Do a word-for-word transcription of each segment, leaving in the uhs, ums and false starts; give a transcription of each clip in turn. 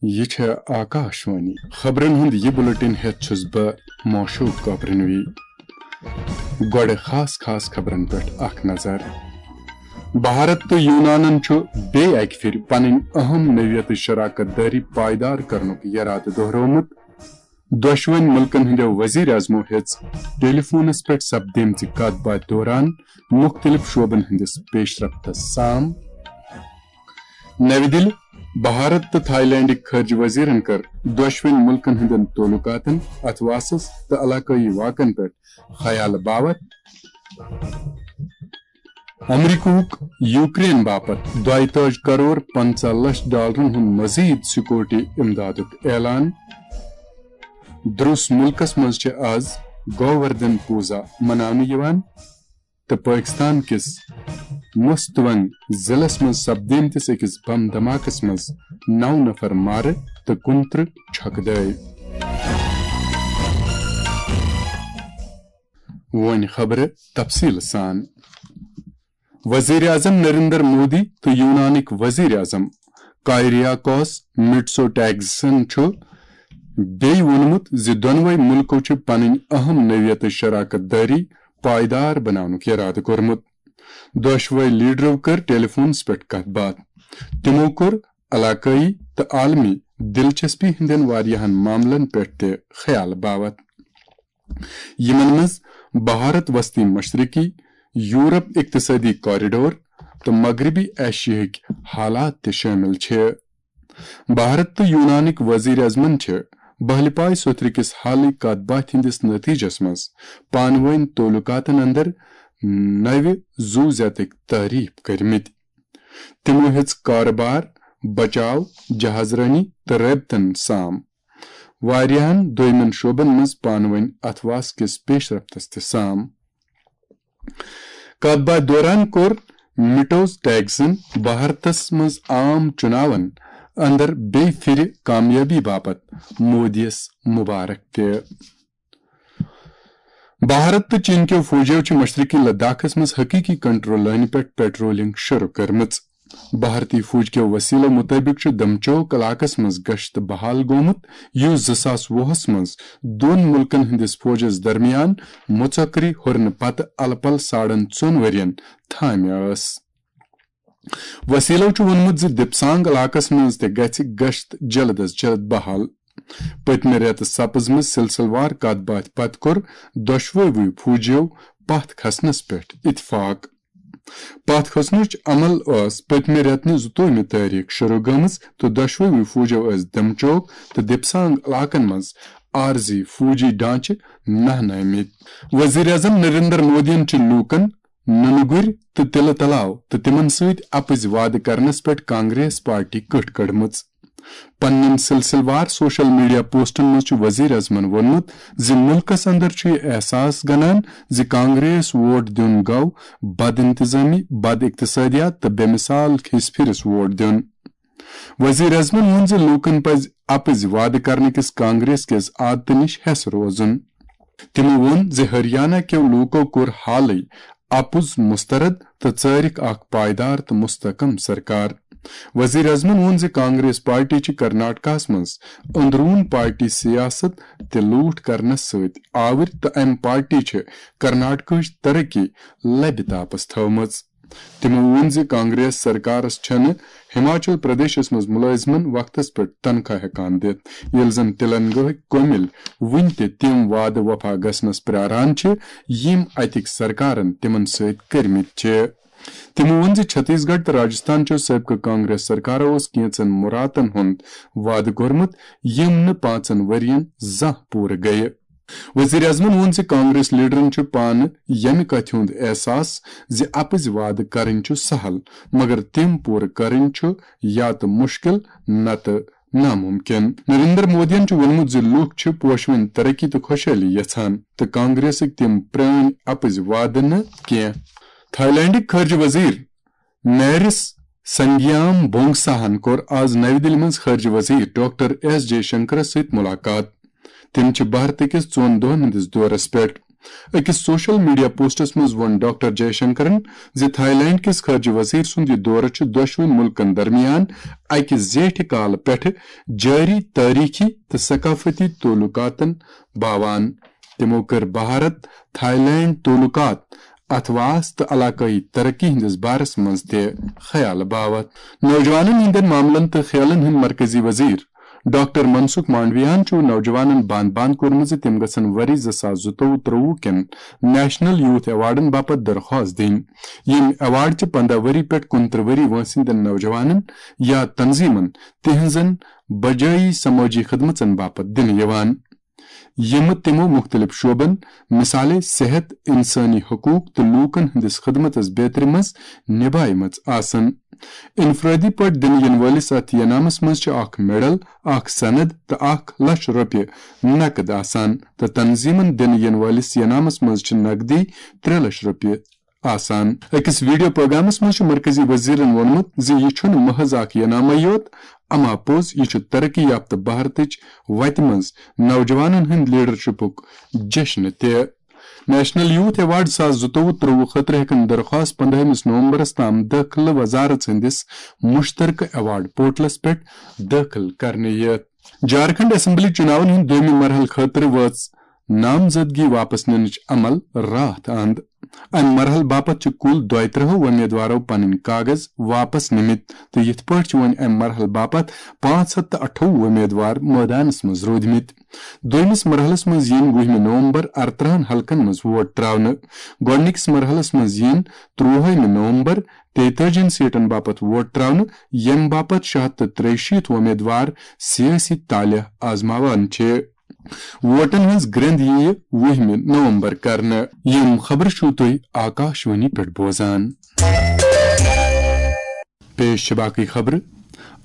یہِ چھےٚ آکاشوانی۔ خبرن ہُنٛد یہِ بُلٹن ہٮ۪تھ چھُس بہٕ موشوق کاپرنوی۔ گۄڈٕ خاص خاص خبرن پٮ۪ٹھ اکھ نظر۔ بھارت تہٕ یونانن چھُ بیٚیہِ اکہِ پھِرِ پنٕنۍ اہم نوعیتٕچ شراکت دٲری پائیدار کرنُک یرادٕ دۄہرومُت۔ دۄشوٕنۍ مُلکن ہٕنٛدیو وزیر اعظمو ہیٚژ ٹیلی فونس پٮ۪ٹھ سپدیمژِ کتھ باتھِ دوران مُختٔلِف شعبن ہٕنٛدِس پیش رفتس سام۔ نَوِ دِلہِ، بھارت تہٕ تھائی لینڈٕکۍ خارجہ وزیرن کٔر دۄشوٕنۍ مُلکن ہٕنٛدٮ۪ن تعلقاتن، اتھواسس تہٕ علاقٲیی واقعن پٮ۪ٹھ خیال باوت۔ امریکہُک یوکرین باپتھ دۄیہِ تٲجۍ کرور پنژاہ لچھ ڈالرن ہُنٛد مزید سیکورٹی امدادُک اعلان۔ دروس مُلکس منٛز چھِ آز گووردھن پوزا مناونہٕ یِوان تہٕ پٲکستان کِس مستونگ ضلعس منٛز سپدیمتِس أکِس بم دھماکس منٛز نو نفر مارٕ تہٕ کُنترٕہ چھۄکہٕ دٲوۍ۔ وۄنۍ خبرٕ تفصیٖل سان۔ وزیر اعظم نریندر مودی تہٕ یونانٕکۍ وزیر اعظم کائریاکوس مٹسوٹاکسن چھُ بیٚیہِ ووٚنمُت زِ دۄنوَے مُلکو چھِ پنٕنۍ اہم نوعیتٕچ شراکت دٲری پائیدار بناونُک یرادٕ کوٚرمُت۔ دۄشوَے لیڈرو کٔر ٹیلی فونس پٮ۪ٹھ کتھ باتھ۔ تِمو کوٚر علاقٲیی تہٕ عالمی دلچسپی ہٕنٛدٮ۪ن واریاہن معاملن پٮ۪ٹھ تہِ خیال باوت، یِمن منٛز بھارت وسطی مشرقی، یورپ اقتصٲدی کوریڈور تہٕ مغربی ایشیاہٕکۍ حالات تہِ شٲمِل چھِ۔ بھارت تہٕ یونانٕکۍ وزیر اعظمن چھِ بہلہِ پاے سوتھرٕ کِس حالٕے کتھ باتھِ ہٕنٛدِس نتیجس منٛز پانہٕ وٲنۍ تعلقاتن اندر نوِ زُو زیتٕکۍ تعریف کٔرمٕتۍ۔ تِمو ہیٚژ کارٕبار، بچاو، جہاز رٲنی تہٕ رٲبطن سام۔ واریاہن دویمٮ۪ن شعبن منٛز پانہٕ وٲنۍ اتھواس کِس پیش رفتس تہِ سام۔ کتھ باتھ دوران کوٚر مٹوٹاکسن بھارتس منٛز عام چُناون اندر بیٚیہِ پھرِ کامیٲبی باپتھ مودیَس مبارک تہِ۔ بھارت تہٕ چین کیو فوجیو چھِ مشرقی لداخس منٛز حقیقی کنٹرول لٲنہِ پٮ۪ٹھ پیٹرولنگ شروع کٔرمٕژ۔ بھارتی فوج کیو وسیلو مطٲبق چھُ دمچوک علاقس منٛز گشت بحال گوٚمُت، یُس زٕ ساس وُہس منٛز دۄن مُلکن ہٕنٛدِس فوجس درمیان مُژکری ہُرنہٕ پتہٕ الہٕ پلہٕ ساڑن ژۄن ؤرین تھامہِ ٲس۔ وسیلو چھُ ووٚنمُت زِ دِپسانگ علاقس منٛز تہِ گژھِ گشت جلد از جلد بحال۔ پٔتمہِ رٮ۪تہٕ سپٕزمٕژ سلسلہٕ وار کتھ باتھِ پتہٕ کوٚر دۄشوٕے فوجیو پتھ کھسنس پٮ۪ٹھ اتفاق۔ پتھ کھسنٕچ عمل ٲس پٔتمہِ رٮ۪تہٕ نہِ زٕتووُہمہِ تٲریخ شروع گٔمٕژ تہٕ دۄشوٕے فوجیو ٲسۍ دمچوک تہٕ دِپسانگ علاقن منٛز عارضی فوجی ڈھانچہٕ نہنٲومٕتۍ۔ وزیر اعظم نریندر مودیَن چھِ لوٗکن نُنہٕ گُرۍ تہٕ تِلہٕ تلاو تہٕ تِمن سۭتۍ اپٕزۍ وعدٕ کرنس پٮ۪ٹھ کانگریس پارٹی کٔٹھ کٔڑمٕژ۔ پننٮ۪ن سلسلہٕ وار سوشل میڈیا پوسٹن منٛز چھُ وزیر اعظمن ووٚنمُت زِ مُلکس اندر چھُ یہِ احساس گنان زِ کانگریس ووٹ دیُن گوٚو بد انتظامی، بد اقتصادیات تہٕ بے مثال کھیس پھرِس ووٹ دیُن۔ وزیر اعظمن ووٚن زِ لوٗکن پزِ اپٕزۍ وعدٕ کرنہٕ کِس کانگریس کِس عادتہٕ نِش ہٮ۪س روزُن۔ تِمو ووٚن زِ ہریانہ کٮ۪و لوٗکو کوٚر حالٕے اپُز مسترد تہٕ ژٲرِکھ اکھ پائیدار تہٕ مستحکم سرکار۔ وزیر اعظمن ووٚن زِ کانگریس پارٹی چھِ کرناٹکاہس منٛز اندرون پارٹی سیاست تہِ لوٗٹھ کرنس سۭتۍ آوٕرۍ تہٕ امہِ پارٹی چھِ کرناٹکہٕچ ترقی لبہِ تاپس تھٲومٕژ۔ تِمو ووٚن زِ کانگریس سرکارس چھنہٕ ہماچل پردیشس منٛز مُلٲزمن وقتس پٮ۪ٹھ تنخواہ ہٮ۪کان دِتھ، ییٚلہِ زن تلنگاہٕکۍ کٔمِلۍ وُنہِ تہِ تِم وعدٕ وفا گژھنس پراران چھِ، یِم اتِکۍ سرکارن تِمن سۭتۍ کٔرمٕتۍ چھِ۔ تِمو ووٚن زِ چھتیس گڑھ تہٕ راجستھان چٮ۪و سٲبقہٕ کانگریس سرکارو اوس کینژن مُراتن ہُنٛد وعدٕ کوٚرمُت، یِم نہٕ پانٛژن ؤرین زانٛہہ پوٗرٕ گٔیہِ۔ وزیر اعظمن ووٚن زِ کانگریس لیڈرن چھُ پانہٕ ییٚمہِ کتھِ ہُنٛد احساس زِ اپٕزۍ وعدٕ کرٕنۍ چھُ سہل، مگر تِم پوٗرٕ کرٕنۍ چھُ یا تہٕ مُشکل نتہٕ ناممکن۔ نریندر مودیَن چھُ ووٚنمُت زِ لوٗکھ چھِ پوشوٕنۍ ترقی تہٕ خۄشحٲلی یژھان تہٕ کانگریسٕکۍ تِم پرٲنۍ اپٕزۍ وعدٕ نہٕ کینٛہہ۔ تھائی لینڈٕکۍ خارجہ وزیر میرس سنگیام بونگساہن کوٚر آز نَوِ دِلہِ منٛز خارجہ وزیر ڈاکٹر ایس جے شنکرس سۭتۍ مُلاقات۔ تِم چھِ بھارتہٕ کِس ژۄن دۄہَن ہٕنٛدِس دورس پٮ۪ٹھ۔ أکِس سوشل میڈیا پوسٹس منٛز ووٚن ڈاکٹر جے شنکرن زِ تھائی لینڈ کِس خارجہ وزیر سُنٛد یہِ دورٕ چھُ دۄشوٕنی مُلکن درمیان اکہِ زیٹھِ کالہٕ پٮ۪ٹھٕ جٲری تٲریخی تہٕ ثقافتی تعلقاتن باوان۔ تِمو کٔر بھارت تھائی لینڈ تعلقات، اَتھواس تہٕ علاقٲیی ترقی ہٕنٛدِس بارس منٛز تہِ خیال باوتھ۔ نوجوانن ہٕنٛدٮ۪ن معاملن تہٕ کھیلن ہٕنٛدۍ مرکزی وزیر ڈاکٹر منسکھ مانڈویاہن چھُ نوجوانن بند بند کوٚرمُت زِ تِم گژھن ؤری زٕ ساس زٕتووُہ ترٛووُہ کٮ۪ن نیشنل یوتھ ایوارڈن باپتھ درخواست دِنۍ۔ یِم ایوارڈ چھِ پنٛداہ ؤری پٮ۪ٹھ کُنترٕہ ؤری وٲنٛسہِ ہٕنٛدٮ۪ن نوجوانن یا تنظیمن تِہنٛزن بجٲیی سمٲجی خدمژن باپتھ دِنہٕ یِوان، یِم تِمو مُختٔلِف شعبن، مثالے صحت، انسٲنی حقوق تہٕ لوٗکن ہٕنٛدِس خدمتس بیترِ منٛز نِبھایمٕژ آسن۔ انفرٲدی پٲٹھۍ دِنہٕ یِنہٕ وٲلِس اتھ ینامس منٛز چھِ اکھ میڈل، اکھ سند تہٕ اکھ لچھ رۄپیہِ نقد آسان تہٕ تنظیمن دِنہٕ یِنہٕ وٲلِس ینامس منٛز چھِ نقدی ترٛےٚ لچھ رۄپیہِ آسان۔ أکِس ویڈیو پروگرامس منٛز چھُ مرکزی وزیرن ووٚنمُت زِ یہِ چھُنہٕ محض اکھ ینامے یوت، اما پوٚز یہِ چھُ ترقی یافتہٕ بھارتٕچ وتہِ منٛز نوجوانن ہٕنٛدِ لیڈرشپُک جشن تہِ۔ نیشنل یوتھ ایوارڈ زٕ ساس زٕتووُہ ترٛووُہ خٲطرٕ ہٮ۪کن درخواست پندہمِس نومبرس تام دٲخلہٕ وزارت سٕنٛدِس مشترکہٕ ایوارڈ پورٹلس پٮ۪ٹھ دٲخل کرنہٕ یِتھ۔ جھارکھنڈ اسمبلی چُناون ہٕنٛدِ دوٚیمہِ مرحلہٕ خٲطرٕ وٲژ نامزدگی واپس نِنٕچ عمل راتھ اند۔ امہِ مرحلہٕ باپتھ چھِ کُل دۄیہِ ترٕٛہو وۄمیدوارو پنٕنۍ کاغذ واپس نِمٕتۍ تہٕ یِتھ پٲٹھۍ چھِ وۄنۍ امہِ مرحلہٕ باپتھ پانٛژھ ہتھ تہٕ اَٹھووُہ وۄمیدوار مٲدانس منٛز روٗدمٕتۍ۔ دوٚیمِس مرحلس منٛز یِن وُہمہِ نومبر ارترٕٛہن حلقن منٛز ووٹ تراونہٕ۔ گۄڈٕنِکِس مرحلس منٛز یِن ترٛوہٲیمہِ نومبر تیتٲجِہن سیٹن باپتھ ووٹ تراونہٕ، ییٚمہِ باپتھ شےٚ ہتھ تہٕ ترٛیہِ شیٖتھ وۄمیدوار سیٲسی طالع آزماوان چھِ۔ ووٹن ہٕنٛز گرٛنٛد یِیہِ وُہمہِ نومبر کرنہٕ۔ یِم خبرٕ چھِو تُہۍ آکاشوانی پٮ۪ٹھ بوزان۔ پیش چھِ باقٕے خبرٕ۔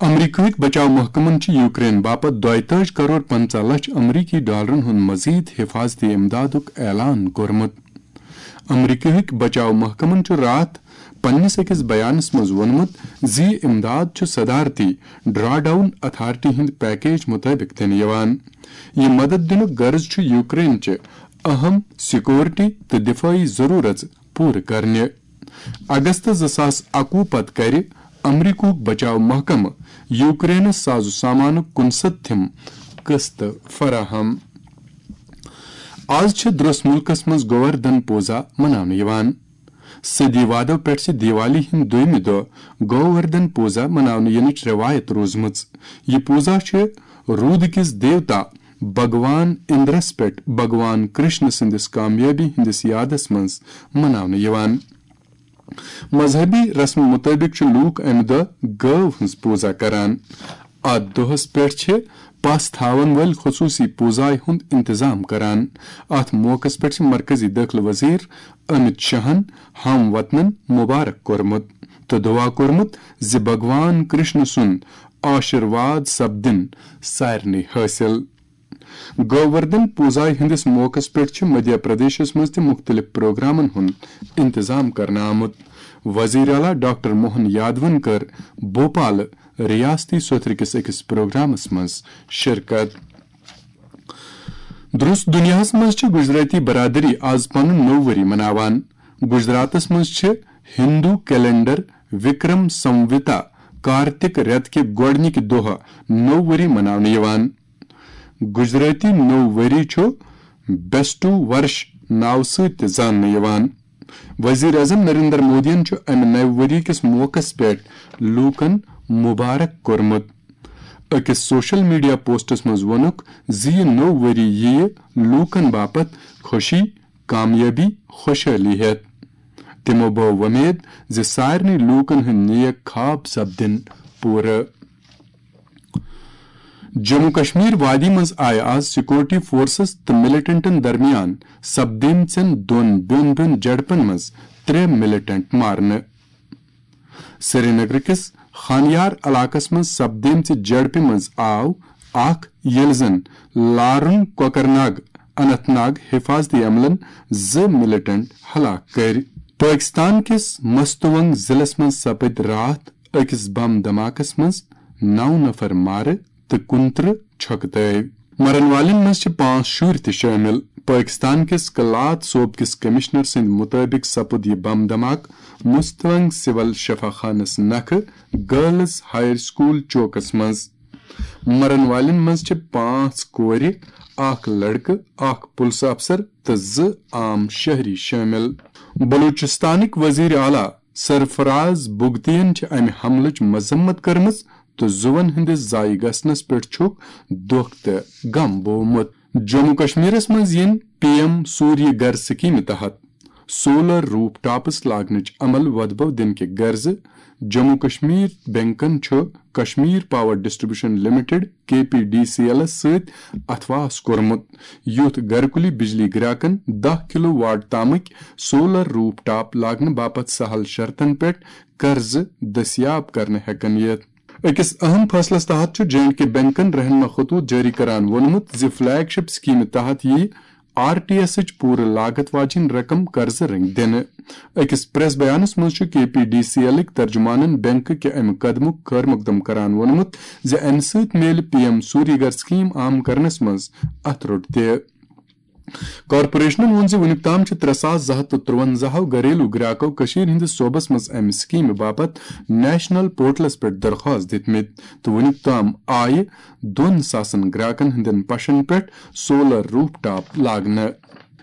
امریکہٕکۍ بچاو محکمن چھِ یوکرین باپتھ دۄیتٲجۍ کرور پنٛژاہ لچھ امریکی ڈالرن ہُنٛد مزید حفاظتی امدادُک اعلان کوٚرمُت۔ امریکہٕکۍ بچاو محکمن چھُ راتھ پننِس أکِس بیانس منٛز ووٚنمُت زِ یہِ امداد چھُ صدارتی ڈرا ڈاؤن اتھارٹی ہٕنٛدِ پیکیج مُطٲبِق دِنہٕ یِوان۔ یہِ مدد دِنُک غرض چھُ یوکرین چہِ اہم سیکورٹی تہٕ دفٲعی ضرورژ پوٗرٕ کرنہِ۔ اگست زٕ ساس اَکوُہ پتہٕ کرِ امریکہُک بچاو محکمہٕ یوکرینس ساز و سامانُک کُنسد تھِم قسط فراہم۔ آز چھِ درس مُلکس منٛز گووردھن پوزا مناونہٕ یِوان۔ صدی وادو پٮ۪ٹھ چھِ دیوالی ہٕنٛدۍ دوٚیمہِ دۄہ گووردھن پوزا مناونہٕ یِنٕچ رٮ۪وایت روٗزمٕژ۔ یہِ پوزا چھِ روٗدٕ کِس دیوتا بھگوان اِندرس پٮ۪ٹھ بھگوان کرشن سٕنٛدِس کامیٲبی ہٕنٛدِس یادس منٛز مناونہٕ یِوان۔ مذہبی رسمہٕ مُطٲبِق چھِ لوٗکھ امہِ دۄہ گٲو ہٕنٛز پوزا کران۔ اتھ دۄہس پٮ۪ٹھ چھِ پس تھاون وٲلۍ خصوٗصی پوزایہِ ہُنٛد انتظام کران۔ اتھ موقعس پٮ۪ٹھ چھِ مرکزی دٲخلہٕ وزیر امت شاہن ہم وطنن مبارک کوٚرمُت تہٕ دعا کوٚرمُت زِ بھگوان کرشن سُنٛد آشیرواد سپدِن سارنٕے حٲصِل۔ گووردھن پوزایہِ ہٕنٛدِس موقعس پٮ۪ٹھ چھِ مدھیہ پردیشس منٛز تہِ مُختٔلِف پروگرامن ہُنٛد انتظام کرنہٕ آمُت۔ وزیر اعلیٰ ڈاکٹر موہن یادون کٔر بھوپالہٕ ریاستی سوتھرٕ کِس أکِس پروگرامس منٛز شرکت۔ درس دنیاہس منٛز چھِ گجراتی برادری آز پنُن نوٚو ؤری مناوان۔ گجراتس منٛز چھِ ہندو کیلنڈر وکرم سموتا کارتک رٮ۪تہٕ کہِ گۄڈٕنِکہِ دۄہ نوٚو ؤری مناونہٕ یِوان۔ گجراتی نوٚو ؤری چھُ بیسٹو ورش ناوٕ سۭتۍ تہِ زاننہٕ یِوان۔ وزیر اعظم نریندر مودیَن چھُ امہِ نوِ ؤری کِس موقعس پٮ۪ٹھ لوٗکَن مبارک کوٚرمُت۔ أکِس سوشل میڈیا پوسٹس منٛز ووٚنُکھ زِ یہِ نوٚو ؤری یِیہِ لوٗکَن باپتھ خوشی، کامیٲبی، خوشحٲلی ہٮ۪تھ۔ تِمو بٲو وۄمید زِ سارنٕے لوٗکَن ہٕنٛدۍ نیک خواب سپدن پوٗرٕ۔ جموں کشمیر وادی منٛز آیہِ آز سیکورٹی فورسز تہٕ ملیٹنٹن درمیان سپدیمژن دۄن بیوٚن بیوٚن جھڑپن منٛز ترٛےٚ ملیٹنٹ مارنہٕ۔ سرینگر کِس خانیار علاقس منٛز سپدیمژِ جھڑپہِ منٛز آو اکھ، ییٚلہِ زن لارُن کوکرناگ اننت ناگ حفاظتی عملن زٕ ملیٹنٹ ہلاک کٔرۍ۔ پٲکستان کِس مستونگ ضلعس منٛز سپٕدۍ راتھ أکِس بم دھماکس منٛز نو نفر مارٕ تہٕ کُنترٕہ چھۄکہٕ تٲوۍ۔ مرن والٮ۪ن منٛز چھِ پانٛژھ شُرۍ تہِ شٲمِل۔ پٲکِستان کِس کلات صوبہٕ کِس کمشنر سٕنٛدِ مُطٲبِق سپُد یہِ بم دھماکہٕ مستونگ سول شفا خانس نکھٕ گرلز ہایر سکول چوکس منٛز۔ مرن والٮ۪ن منٛز چھِ پانٛژھ کورِ، اکھ لڑکہٕ، اکھ پُلسہٕ افسر تہٕ زٕ عام شہری شٲمِل۔ بلوچستانٕکۍ وزیر اعلیٰ سرفراز بگتین چھِ امہِ حملٕچ مذمت کٔرمٕژ تہٕ زُوَن ہٕنٛدِس ضایع گژھنَس پٮ۪ٹھ چھُکھ دۄکھ تہٕ غم بوومُت۔ جموں کشمیرَس منٛز یِن پی ایم سوریہ گھر سکیمہِ تحت سولر روپ ٹاپس لاگنٕچ عمل وۄدبو دِنہٕ کہِ غرضہٕ۔ جموں کشمیر بینکن چھُ کشمیر پاور ڈسٹریبیوشن لمیٹڈ، کے پی ڈی سی ایلس سۭتۍ اتھواس کوٚرمُت، یُتھ گرکُلی بجلی گراکن دَہ کلو واٹ تامٕکۍ سولر روپ ٹاپ لاگنہٕ باپتھ سہل شرطن پٮ۪ٹھ قرضہٕ دٔستیاب کرنہٕ ہٮ۪کن یِتھ۔ أکِس اہم فٲصلَس تحت چھُ جے اینڈ کے بینکن رہنما خطوط جٲری کران ووٚنمُت زِ فلیگ شپ سکیمہِ تحت یِیہِ آر ٹی ایسٕچ پوٗرٕ لاگت واجیٚنۍ رقم قرضہٕ رٔنگۍ دِنہٕ۔ أکِس پریس بیانَس منٛز چھُ کے پی ڈی سی ایلٕکۍ ترجمانَن بینک کہِ اَمہِ قدمُک خٲر مقدم کران ووٚنمُت زِ اَمہِ سۭتۍ میلہِ پی ایم سوریہ گھر سکیم عام کرنَس منٛز اَتھٕ روٚٹ تہِ۔ کارپوریشنَن ووٚن زِ وُنیُک تام چھِ ترٛےٚ ساس زٕ ہَتھ تہٕ ترٛوَنزاہ گھریلو گراکو کٔشیٖرِ ہٕنٛدِس صوبس منٛز اَمہِ سکیمہِ باپتھ نیشنل پورٹلس پٮ۪ٹھ درخواست دِتمٕتۍ تہٕ وُنیُک تام آیہِ دۄن ساسن گراکن ہٕنٛدٮ۪ن پشن پٮ۪ٹھ سولر روپ ٹاپ لاگنہٕ۔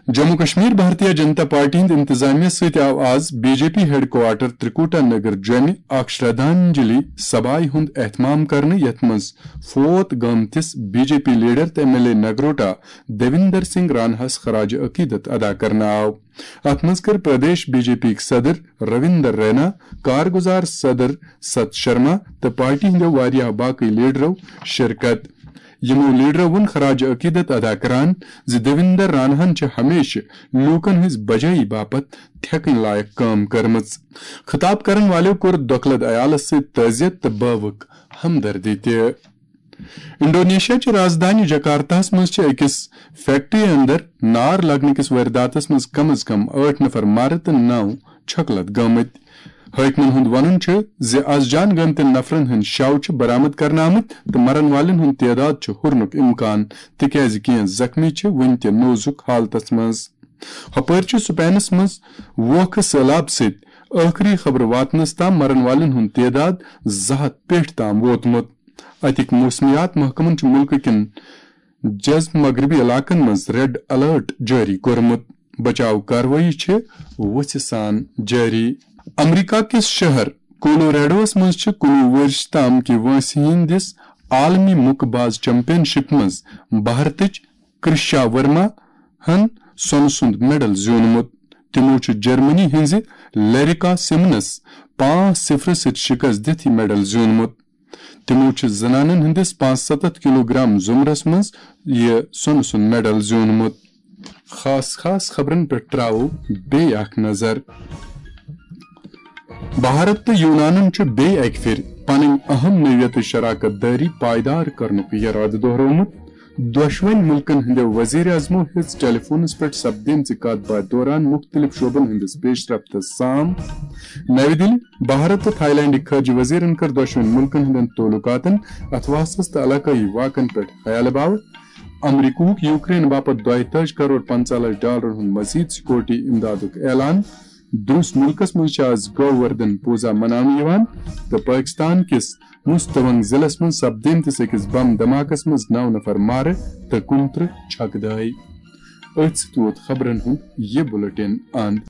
جموں کشمیر بھارتیہ جنتا پارٹی ہٕنٛدِ انتظامیہ سۭتۍ آو آز B J P headquarter Trikuta Nagar جوٚمہِ اکھ شردھانجلی سبھایہِ ہُنٛد اہتمام کرنہٕ، یتھ منٛز فوت گٲمتِس بی جے پی لیڈر تہٕ M L A Nagrota Devender Singh راناہس خراج عقیدت ادا کرنہٕ آو۔ اتھ منٛز کٔر پردیش بی جے پی یِکۍ صدر رویندر رینا، کارگزار صدر ست شرما تہٕ پارٹی ہٕنٛدیو واریاہ باقٕے لیڈرو شرکت۔ یِمو لیڈرو ووٚن خراج عقیدت ادا کران زِ دیویندر راناہن چھِ ہمیشہٕ لوٗکن ہٕنٛز بجٲیی باپتھ تھٮ۪کٕنۍ لایق کٲم کٔرمٕژ۔ خطاب کرن والٮ۪و کوٚر دۄکلد عیالس سۭتۍ تعزیت تہٕ بٲوٕکھ ہمدردی تہِ۔ انڈونیشیا چہِ رازدانہِ جکارتاہس منٛز چھِ أکِس فیکٹری اندر نار لگنہٕ کِس وٲرداتس منٛز کم از کم ٲٹھ نفر مارٕ تہٕ نو چھۄکہٕ لد گٲمٕتۍ۔ حٲکمن ہُنٛد وَنُن چھُ زِ از جان گٲمتٮ۪ن نفرن ہٕنٛدۍ شَو چھِ برآمد کرنہٕ آمٕتۍ تہٕ مرن والٮ۪ن ہُنٛد تعداد چھُ ہُرنُک امکان، تِکیازِ کینٛہہ زخمی چھِ وُنہِ تہِ نوزُک حالتس منٛز۔ ہۄپٲرۍ چھُ سپینس منٛز ووکھٕ سٔہلاب سۭتۍ ٲخری خبرٕ واتنس تام مرن والٮ۪ن ہُنٛد تعداد زٕ ہَتھ پٮ۪ٹھ تام ووتمُت۔ اتِکۍ موسمیات محکمن چھُ مُلکہٕ کٮ۪ن جزو مغربی علاقن منٛز ریڈ الرٹ جٲری کوٚرمُت۔ بچاو کاروٲیی چھِ وُژھِ سان جٲری۔ امریکہ کِس شہر کولوریڈوس منٛز چھِ کُنوُہ ؤرِش تام کہِ وٲنٛسہِ ہٕنٛدِس عالمی مُکہٕ باز چیمپین شپ منٛز بھارتٕچ کرشا ورما ہن سۄنہٕ سُنٛد میڈل زیوٗنمُت۔ تِمو چھُ جرمنی ہٕنٛزِ لیریکا سیمنس پانٛژھ صفر سۭتۍ شکست دِتھ یہِ میڈل زیوٗنمُت۔ تِمو چھِ زنانن ہٕنٛدِس پانٛژھ ستتھ کلوگرام زمرس منٛز یہِ سۄنہٕ سُنٛد میڈل زیوٗنمُت۔ خاص خاص خبرن پٮ۪ٹھ تراوو بیٚیہِ اکھ نظر۔ بھارت تہٕ یونانن چھُ بیٚیہِ اکہِ پھِرِ پنٕنۍ اہم نوعیتٕچ شراکت دٲری پائیدار کرنُک یرادٕ دۄہرومُت۔ دۄشوٕنۍ مُلکن ہٕنٛدیو وزیر اعظمو ہیٚژ ٹیلی فونس پٮ۪ٹھ سپدیمژِ کتھ باتھِ دوران مُختٔلِف شعبن ہٕنٛدِس پیش رفتس سام۔ نَوِ دِلہِ، بھارت تہٕ تھائی لینڈٕکۍ خارجہ وزیرن کٔر دۄشوٕنۍ مُلکن ہٕنٛدٮ۪ن تعلقاتن اتھواسس تہٕ علاقٲیی واقعن پٮ۪ٹھ خیالہٕ باوت۔ امریکہُک یوکرین باپتھ دۄیہِ تٲجۍ کرور پنژاہ لچھ ڈالرن ہُنٛد مزید سیکورٹی امدادُک اعلان۔ درُس مُلکس منٛز چھِ آز گووردھن پوٗزا مناونہٕ یِوان تہٕ پٲکِستان کِس مستونگ ضلعس منٛز سپدیمتِس أکِس بم دھماکس منٛز نو نفر مارٕ تہٕ کُنترٕہ چھکہٕ دٲے۔ أتھۍ سۭتۍ ووت خبرن ہُنٛد یہِ بُلٹن اند۔